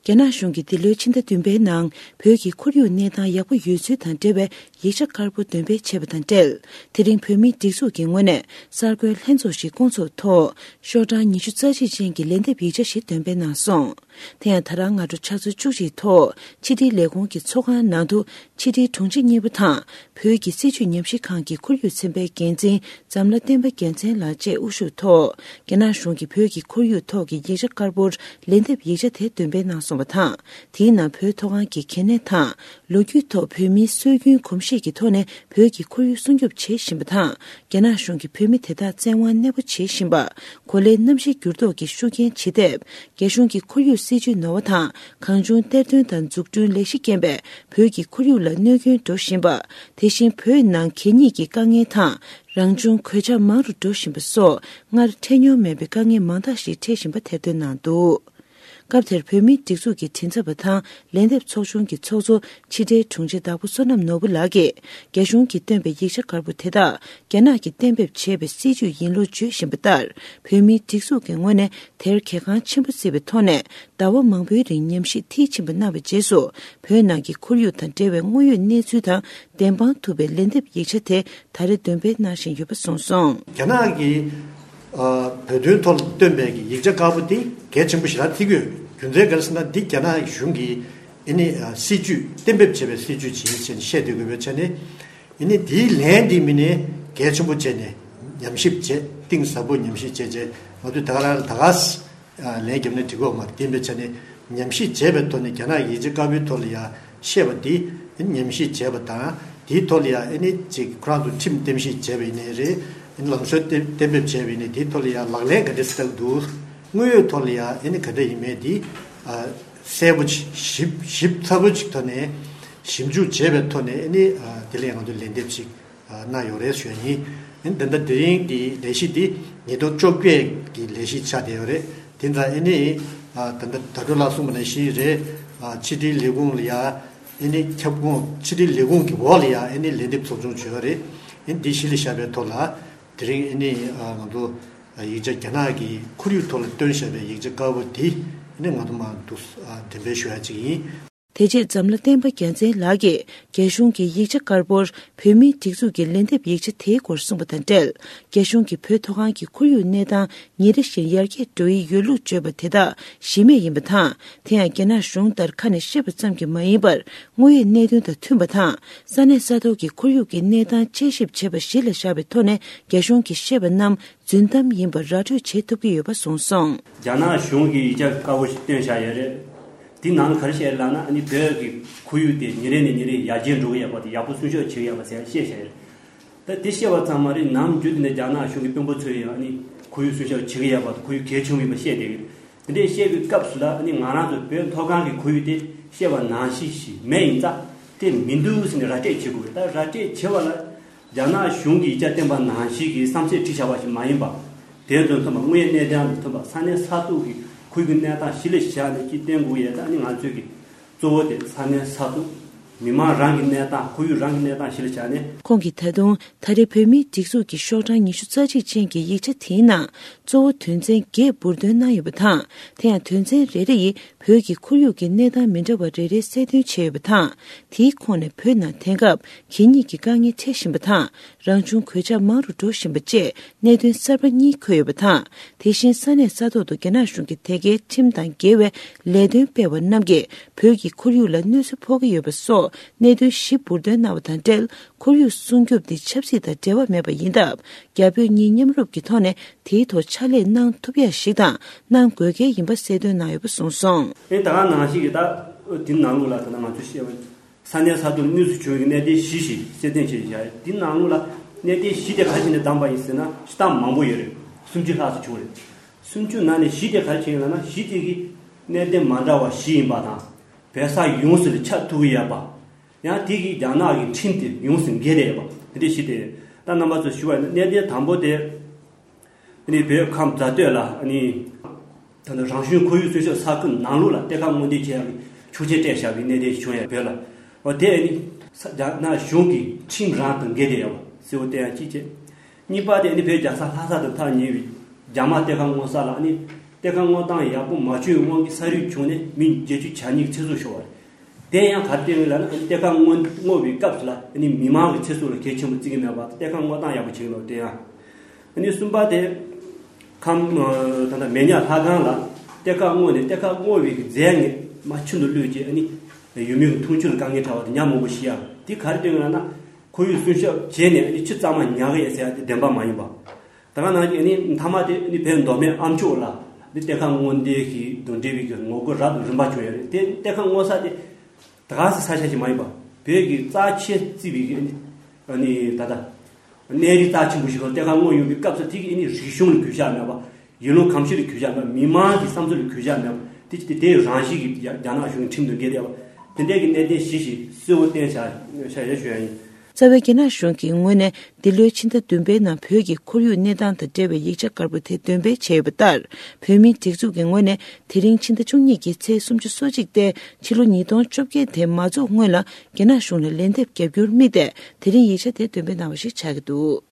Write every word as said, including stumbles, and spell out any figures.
རྒྱ་ནག་གཞུང་གིས་འདི་ལོའི་ཕྱི་ཟླ་བདུན་པའི་ནང་བོད་ཀྱི་ཁོར་ཡུག་གནས་སྟངས་ཡག་པོ་ཡོད་ཚུལ་དང་འབྲེལ་བའི་ཡིག་ཆ་དཀར་པོ་འདོན་སྤེལ་བྱས་པ་དང་འབྲེལ། དེ་རིང་བོད་མིའི་སྒྲིག་འཛུགས་ཀྱི་ངོས་ནས་གསར་འགོད་ལྷན་ཚོགས་ཤིག་བསྐོང་ཚོགས་ཐོག་ཤོག་གྲངས་ཉི་ཤུ་རྩ་གཅིག་ཅན་གྱི་ལན་འདེབས་ཡིག་ཆ་ཞིག་འདོན་སྤེལ་གནང་སོང་། དེ་ཡང་ད་རང་སྔ་དྲོ་ཕྱག་ཚོད་བཅུ་གཅིག་ཐོག་ཕྱི་དྲིལ་ལས་ཁུངས་ཀྱི་ཚོགས་ཁང་ནང་དུ་ཕྱི་དྲིལ་དྲུང་ཆེ་གཉིས་པོ་དང་བོད་ཀྱི་སྲིད་བྱུས་ཉམས་ཞིབ་ཁང་གི་ཁོར་ཡུག་ཚན་པའི་འགན་འཛིན་འཛམ་ལྷ་བསྟན་པ་རྒྱལ་མཚན་ལགས་བཅས་དབུ་བཞུགས་ཐོག་རྒྱ་ནག་གཞུང་གིས་བོད་ཀྱི་ཁོར་ཡུག་ཐོག་གི་ཡིག་ཆ་དཀར་པོར་ལན་འདེབས་ཡིག་ཆ་དེ་འདོན་སྤེལ་གནང་སོང་བ་དང་། དེའི་ནང་བོད་མཐོ་སྒང་གི་གལ་གནད་དང་། ལོ་རྒྱུས་ཐོག་བོད་མིའི་སྲོལ་རྒྱུན་གོམས་གཤིས་ཀྱི་ཐོག་ནས་བོད་ཀྱི་ཁོར་ཡུག་སྲུང་སྐྱོབ་བྱེད་བཞིན་པ་དང་། རྒྱ་ནག་གཞུང་གིས་བོད་མི་དེ་དག་བཙན་དབང་གནས་སྤོ་བྱེད་བཞིན་པ། གོ་ལའི་གནམ་གཤིས་འགྱུར་ལྡོག་གི་ཤུགས་རྐྱེན་ཇེ་འདེབས། རྒྱ་གཞུང་གི་ཁོར་ཡུག་སྲིད་ཇུས་ནོར་བ་དང་། གང་བྱུང་གཏེར་འདོན་དང་འཛུགས་སྐྲུན་ལས་གཞི་རྐྱེན་པས་བོད་ཀྱི་ཁོར་ཡུག་ལ་གནོད་སྐྱོན་འགྲོ་བཞིན་པ། དེ་བཞིན་བོད་ནང་གད་སྙིགས་ཀྱི་དཀའ་ངལ་དང་། རང་བྱུང་གོད་ཆག་མང་རུ་འགྲོ་བཞིན་པ་སོགས་སྔར་འཕྲད་མྱོང་མེད་པའི་དཀའ་ངལ་མང་དག་ཞིག་འཕྲད་བཞིན་པ་ཐེར་འདོན་གནང་འདུག་སྐབས་དེར་བོད་མིའི་སྒྲིག་འཛུགས་ཀྱི་མགྲིན་ཚབ་པ་དང་ལན་འདེབས་ཚོགས་ཆུང་གི་ཚོགས་གཙོ་ཕྱི་དྲིལ་དྲུང་ཆེ་དྭགས་པོ་བསོད་ནམས་ནོར་བུ་ལགས་ཀྱིས། རྒྱ་གཞུང་གིས་བཏོན་པའི་ཡིག་ཆ་དཀར་པོ་དེ་དག་རྒྱ་ནག་གིས་གཏན་འབེབས་བྱས་པའི་སྲིད་ཇུས་ཡིན་ལུགས་བརྗོད་བཞིན་པ་ལྟར། བོད་མིའི་སྒྲིག་འཛུགས་ཀྱི་ངོས་ནས་དེར་གལ་འགངས་ཆེན་པོ་བརྩིས་པའི་ཐོག་ནས། ཟླ་བ་མང་པོའི་རིང་ཉམས་ཞིབ་མཐིལ་ཕྱིན་པ་གནང་བའི་རྗེས་སུ། བོད་ནང་གི་ཁོར་ཡུག་དང་འབྲེལ་བའི་དངོས་ཡོད་གནས་ཚུལ་དང་བདེན་དཔང་ཐུབ་པའི་ལན་འདེབས་ཡིག་ཆ་དེ་ད་རེས་འདོན་སྤེལ་གནང་བཞིན་ཡོད་པ་གསུངས་སོང་། རྒྱ་ནག་གིས་ཨ་བོད་དོན་ཐོག་ལ་བཏོན་པའི་གི་ཡིག་ཆ་དཀར་པོ་དེ་གལ་ཆེན་པོ་ཞེ་དྲག་བརྩི་གི་ཡོད། རྒྱུ་མཚན་ག་རེ་ཟེར་ན། འདི་རྒྱ་ནག་གཞུང་གིས་ཨ་ནི་ཨ་སྲིད་ཇུས་གཏན་འབེབས་བྱས་པའི་སྲིད་ཇུས་ཅིག་ཡིན་ཞེས་ནས་བཤད་སྡོད་དགོས་པའི་ཆ་ནས། ཨ་ནི་འདིའི་ལན་འདི་མི་ནས་གལ་ཆེན་པོ་བྱས་ནས་ཉམས་ཞིབ་བྱས། གཏིང་ཟབ་པོ་ཉམས་ཞིབ་བྱས་རྗེས། ང་ཚོས་ད་ག་རང་ལ་ད་ག་ཨ་ལན་བརྒྱབ་ན་འགྲིག་གི་ཡོད་མ་རེད། དེ་ཡིན་པའི་ཆ་ནས་ཉམས་ཞིབ་བྱས་པའི་ཐོག་ནས་རྒྱ་ནག་ཡིག་ཆ་དཀར་པོའི་ཐོག་ལ་ཡ་བཤད་པ་འདི་ཉམས་ཞིབ་བྱས་པ་དང་། དེའི་ཐོག་ལ་ཡ་ཨ་ནི་ཅིག་ཁོ་རང་ཚོ་ཁྲིམས་གཏན་འབེབས་བྱས་པ་ཡིན་ནའི་རེད། ཨ་ནི་ལམ་སྲོལ་གཏན་གཏན་འབེབས་བྱས་པ་ཡིན་ནའི་དེའི་ཐོག་ལ་ཡ་ལག་ལེན་ག་འདྲ་སེ་བསྟར་འདུག་དངོས་ཡོད་ཐོག་ལ་ཡ་ཨ་ནི་ག་འདྲ་ཡིན་མིན་འདི་ཨ་གསལ་པོ་ཅིག་ཞིབ་ཞིབ་ཚགས་པོ་ཅིག་ཐོག་ནས་ཞིབ་འཇུག་བྱས་པའི་ཐོག་ནས། ཨ་ནི་ཨ་དེ་ལ་ཡ་ང་ཚོས་ལན་འདེབས་ཅིག་གནང་ཡོད་རེད་ཞུ་ཡ་ཡིན། ད་ལྟ་དེ་རིང་གི་ལས་གཞི་འདི་ཉིས་སྟོང་བཅོ་བརྒྱད་ཀྱི་ལས་གཞི་ཆགས་བསྡད་ཡོད་རེད། དེ་ཙང་ཨ་ནི་ད་ལྟ་ད་དྲོ་ལགས་གསུངས་པ་ནང་བཞིན་རེད། ཕྱི་དྲིལ་ལས་ཁུངས་ལ་ཡ་ཨ་ནི་ཁྱབ་ཁོངས་ཕྱི་དྲིལ་ལས་ཁུངས་ཀྱི་འོག་ལ་ཡ་ཨ་ནི་ལན་འདེབས་ཚོགས་ཆུང་བྱས་ཡོད་རེད། ཨ་ནི་འདི་གཞི་ལ་བཞག་པའི་ཐོག་ལ་དེ་རིང་ཨ་ནི་ང་ཚོ་ཡིག་ཆ་རྒྱ་ནག་གི་ཁོར་ཡུག་ཐོག་ལ་བཏོན་བཞག་པའི་ཡིག་ཆ་དཀར་པོ་འདི་ཨ་ནི་ང་ཚོ་མར་འདུག་འགྲེམས་སྤེལ་ཞུ་ཡ་ཅིག་ཡིན། དེ་རྗེས་འཛམ་ལྷ་བསྟན་པ་རྒྱལ་མཚན་ལགས་ཀྱིས་རྒྱ་གཞུང་གི་ཡིག་ཆ་དཀར་པོར་བོད་མིའི་སྒྲིག་འཛུགས་ཀྱི་ལན་འདེབས་ཡིག་ཆ་དེའི་སྐོར་གསུངས་པ་དང་འབྲེལ། རྒྱ་གཞུང་གིས་བོད་མཐོ་སྒང་གི་ཁོར་ཡུག་གནས་སྟངས་ཉིན་རེ་བཞིན་ཡར་རྒྱས་འགྲོ་ཡི་ཡོད་ལུགས་བརྗོད་པ་དེ་དག་གཞི་མེད་ཡིན་པ་དང་། དེ་ཡང་རྒྱ་ནག་གཞུང་ལྟར་ཁ་ནས་བཤད་པ་ཙམ་གྱིས་མ་ཡིན་པར། དངོས་ཡོད་གནད་དོན་དང་མཐུན་པ་དང་། ས་གནས་ས་ཐོག་གི་ཁོར་ཡུག་གི་གནས་སྟངས་དཔྱད་ཞིབ་བྱེད་པ་གཞི་ལ་བཞག་པའི་ཐོག་ནས་རྒྱ་གཞུང་གིས་བཤད་པ་རྣམས་རྫུན་གཏམ་ཡིན་པར་ར་སྤྲོད་བྱེད་ཐུབ་ཀྱི་ཡོད་པ་གསུངས་སོང་། རྒྱ་ནག་གཞུང་གིས་ཡིག་ཆ་དཀར་པོ་ཞིག་བཏོན་བཞག་ཡོད་རེད། དེ་ནང་ག་རེ་བཤད་ལབ་ན། ཨ་ནི་བོད་ཀྱི་ཁོར་ཡུག་དེ་ཉིན་རེ་ནས་ཉིན་རེ་ཡར་རྒྱས་འགྲོ་གི་ཡོད་པ་དང་། ཡག་པོ་སྲུང་སྐྱོབ་བྱེད་ཀྱི་ཡོད་པ་ཟེར་བཤད་བཞག་ཡོད་རེད། ད་དེ་བཤད་པ་ཙམ་མ་རེད། ནམ་རྒྱུན་དེ་ནས་རྒྱ་ནག་གཞུང་གི་དཔོན་པོ་ཚོས་ཡང་ཨ་ནི་ཁོར་ཡུག་སྲུང་སྐྱོབ་བྱེད་ཀྱི་ཡོད་པ་དང་། ཁོར་ཡུག་གལ་ཆེན་པོ་ཡིན་པ་བཤད་བསྡད་ཀྱི་རེད། དེ་འདྲས་བཤད་པའི་སྐབས་སུ་ལ། ཨ་ནི་ང་རང་ཚོ་བོད་མཐོ་སྒང་གི་ཁོར་ཡུག་དེ་བཤད་པ་ནང་བཞིན་ཞིག་མེད་ཡིན་ཙང་དེ་མི་འདུག་ཟེར་ནས་ར་སྤྲོད་བྱེད་དགོས་རེད། ད་ར་སྤྲོད་བྱེད་པ་ལ་རྒྱ་ནག་གཞུང་གིས་ཡིག་ཆ་བཏོན་པ་ནང་བཞིན་གྱི་བསམ་ཚུལ་བྲིས་བཞག་པ་ཞིག་མ་ཡིན་པ། དེ་ཚོ་མཐུན་པ། དངོས་ཡོད་གནས་སྟངས་དང་མཐུན་པ། ས་གནས་ས་ཐོག་གི་ཁོར་ཡུག་གནས་སྟངས་གཞི་ལ་བཞག་ནས་ཅིག་བཏོན་དགོས་ཡས། ད་ཨ་ནི་ང་ཚོས་ཀྱི་གཙོ་བོ་དེ་ས་གནས་ས་ཐོག་མི་མང་རང་གི་གནས་སྟངས། ཁོར་ཡུག་རང་གི་གནས་སྟངས་གཞི་ལ་བཞག་ནས། ཁོང་གིས་ད་དུང་ད་རེས་བོད་མིའི་སྒྲིག་འཛུགས་ཀྱི་ཤོག་གྲངས་ཉི་ཤུ་རྩ་གཅིག་ཅན་གྱི་ཡིག་ཆ་དེའི་ནང་གཙོ་བོ་དོན་ཚན་བརྒྱད་འབུར་འདོན་གནང་ཡོད་པ་དང་། དེ་ཡང་དོན་ཚན་རེ་རེ་ཡིས་བོད་ཀྱི་ཁོར་ཡུག་གི་གནས་སྟངས་མི་འདྲ་བ་རེ་རེ་གསལ་སྟོན་བྱས་ཡོད་པ་དང་། དེའི་ཁོངས་ནས་བོད་ནང་དེང་སྐབས་གད་སྙིགས་ཀྱི་དཀའ་ངལ་འཕྲད་བཞིན་པ་དང་། རང་བྱུང་གོད་ཆག་མང་རུ་འགྲོ་བཞིན་པ་བཅས་གནད་དོན་གསར་པ་གཉིས་འཁོད་ཡོད་པ་དང་། དེ་བཞིན་ས་གནས་ས་ཐོག་ཏུ་རྒྱ་ནག་གཞུང་གིས་དེ་གའི་ཁྲིམས་དང་འགལ་བའི་ལས་དོན་སྤེལ་བ་རྣམས་ཀྱིས་བོད་ཀྱི་ཁོར་ཡུག་ལ་གནོད་འཚེ་ཕོག་གི་ཡོད་པ་སོགས་གནད་དོན་བཞི་འབུར་འདོན་གནང་བ་དང་འབྲེལ། ཁོར་ཡུག་སྲུང་སྐྱོབ་འདི་ཆབ་སྲིད་དང་འབྲེལ་བ་མེད་པ་ཡིན་སྟབས། རྒྱ་བོད་གཉིས་མཉམ་རུབ་ཀྱི་ཐོག་ནས་དེའི་ཐོག་ཕྱག་ལས་གནང་ཐུབ་ཡ་ཞིག་དང་གནང་དགོས་གལ་ཡིན་པ་གསལ་སྟོན་གནང་ཡོད་པ་གསུངས་སོང་། ཨེ་ད་ག་ནང་བཞིན་གྱི་ད་དེ་ནང་ལོགས་ལ་ད་ལྟ་ང་ཚོས་བཤད་པ། ས་གནས་ས་ཐོག་གནོད་འཚེ་བྱུང་བའི་གནད་དོན་བཞི་ཞིག་གསལ་སྟོན་བྱས་བཞག་དེ་ནང་ལོགས་ལ་གནད་དོན་བཞི་དེ་ག་རེ་བྱས་ནས་བདམས་པ་ཡིན་ཟེར་ན། སྤྱིར་བཏང་མང་པོ་ཡོད་རེད། སུམ་ཅུ་ལྷག་ཙམ་བྱུང་རེད། སུམ་ཅུ་ནང་ནས་བཞི་དེ་ག་རེ་བྱས་ཡིན་ལབ་ན། བཞི་དེ་གི་གནད་དོན་མ་འདྲ་བ་བཞི་ཡིན་པ་དང་། བོད་ས་ཡོངས་སུ་ལ་ཁྱབ་ཐུབ་ཀྱི་ཡོད་པ། ཡང་དེ་གི་རྒྱ་ནག་གི་ཁྲིམས་དེ་ཡོངས་སུ་འགལ་བསྡད་ཡོད་པ། དེ་འདྲ་བཞི་དེ། ད་རྣམ་པ་ཚོ་ཞུ་བ་ཡིན་ན། གནད་དོན་དང་པོ་དེ། ཨ་ནི་བོད་ཁམས་རྫ་སྟོད་ལ། ཨ་ནི་ད་ལྟ་རང་བྱུང་ཁོར་ཡུག་སྲུང་སྐྱོབ་ས་ཁུལ་ནང་ལོགས་ལ་གཏེར་ཁ་སྔོག་འདོན་བྱེད་ཡག་གི་ཆོག་མཆན་སྤྲད་བཞག་པའི་གནད་དོན་ཞིག་བྱུང་ཡོད། བོད་ལ། འོ་དེ་ཨ་ནི་ས་རྒྱ་ནག་གཞུང་གི་ཁྲིམས་རང་དང་འགལ་བསྡད་ཡོད་པ་གསལ་པོ་བསྟན་ཡག་གཅིག་བྱས། གཉིས་པ་དེ་ཨ་ནི་བོད་རྒྱལ་ས་ལྷ་ས་དང་ཐག་ཉེ་བའི་རྒྱ་དམག་གཏེར་ཁ་སྔོག་ས་ལ། ཨ་ནི་ གཏེར་ཁ་སྔོག་སྟངས་ཡག་པོ་མ་བྱུང་བའི་དབང་གིས་ས་རུད་བྱུང་ནས་མི་བརྒྱད་ཅུ་གྱ་གཉིས་ཀྱི་ཚེ་སྲོག་ཤོར་བ་རེད། དེ་ཡང་ག་རེ་བསྟན་ཡོད་ལབ་ན། ཨ་ནི་གཏེར་ཁ་སྔོག་སྔོག་པའི་སྐབས་སུ་ལ་ཨ་ནི་མི་མང་གི་ཚེ་སྲོག་ལ་གལ་ཆེན་པོ་བརྩི་གི་མེད་པ་དང་། གཏེར་ཁ་སྔོག་སྟངས་ཡག་པོ་བྱེད་ཀྱི་མེད་པ། དེ་ཡང་། ཨ་ནི་གསུམ་པ་དེ། ཁམས། ཨ། ད་ལྟ་མེ་ཉག་ལྷ་ཁང་ལ་གཏེར་ཁ་སྔོག་ནས་གཏེར་ཁ་སྔོག་པའི་གི་རྫས་ངན་མ་ཁྱིམ་དུ་བླུགས་རྗེས། ཨ་ནི་ཡུལ་མི་གི་འཐུང་ཆུ་ལ་དཀའ་ངལ་འཕྲད་པ་དང་ཉ་མང་པོ་ཤི་ཡག་དེ་ག་རེ་བསྟན་ཡོད་ལབ་ན། ཁོར་ཡུག་སྲུང་སྐྱོབ་བྱས་ནས་ཨ་ནི་ཆུ་གཙང་མ་ཉར་གི་ཡོད་ཟེར་ཡག་དེ་བདེན་པ་མ་ཡིན་པ། ད་ག་ནང་བཞིན་ཨ་ནི་མཐའ་མ་དེ་ཨ་ནི་བོད་མདོ་སྨད་ཨ་མཆོག་ལ་ཨ་ནི་གཏེར་ཁ་སྔོག་འདོད་ཀྱི་དང་འབྲེལ་བའི་གི་ངོ་རྒོལ་རབ་དང་རིམ་པ་བྱུང་ཡོད་རེད། དེ་གཏེར་ཁ་སྔོག་ས་དེ་ད་ག་སེ་ས་ཆ་ཞིག་མ་ཡིན་པ། བོད་ཀྱི་རྩ་ཆེ་བརྩི་བའི་གི་ཨ་ནི་ཨ་ནི་ད་ལྟ་གནས་རི་རྩ་ཆེན་པོ་ཞིག་ལ་གཏེར་ཁ་སྔོག་ཡོང་བའི་སྐབས་སུ། དེ་གི་ཨ་ནི་རིག་གཞུང་ལ་གུས་ཞབས་མེད་པ། ཡུལ་ལུང་གོམས་གཤིས་ལ་གུས་ཞབས་མེད་པ། མི་མང་གི་བསམ་ཚུལ་ལ་གུས་ཞབས་མེད་པ། དེ་དེ་དེའི་རང་བཞིན་གྱི་རྒྱ་རྒྱ་ནག་གཞུང་གི་ཁྲིམས་དང་འགལ་བསྡད་པ། དེ་འདྲའི་གི་གནད་དོན་བཞི་ཞིག་གསལ་པོ་བསྟན་བཞག་བཞག་ཡོད་ཞུ་ཡ་ཡིན། རྩ་བའི་རྒྱ་ནག་གཞུང་གིས་སྔོན་ནས་འདི་ལོའི་ཕྱི་ཟླ་བདུན་པའི་ནང་བོད་ཀྱི་ཁོར་ཡུག་གནས་སྟངས་དང་འབྲེལ་བའི་ཡིག་ཆ་དཀར་པོ་དེ་འདོན་སྤེལ་བྱས་ཡོད་པ་ལྟར། བོད་མིའི་སྒྲིག་འཛུགས་ཀྱི་ངོས་ནས་དེ་རིང་ཕྱི་ཟླ་བཅུ་གཉིས་ཀྱི་ཚེས་སུམ་ཅུ་སོ་གཅིག་སྟེ། ཕྱི་ལོ་ཉིས་སྟོང་བཅོ་བརྒྱད་དེ་མ་རྫོགས་སྔོན་ལ་རྒྱ་ནག་གཞུང་ལ་ལན་འདེབས་བརྒྱབ་རྒྱུར་དམིགས་ཏེ། དེ་རིང་ཡིག་ཆ་དེ་འདོན་སྤེལ་གནང་བ་ཞིག་ཆགས་ཀྱི་འདུག།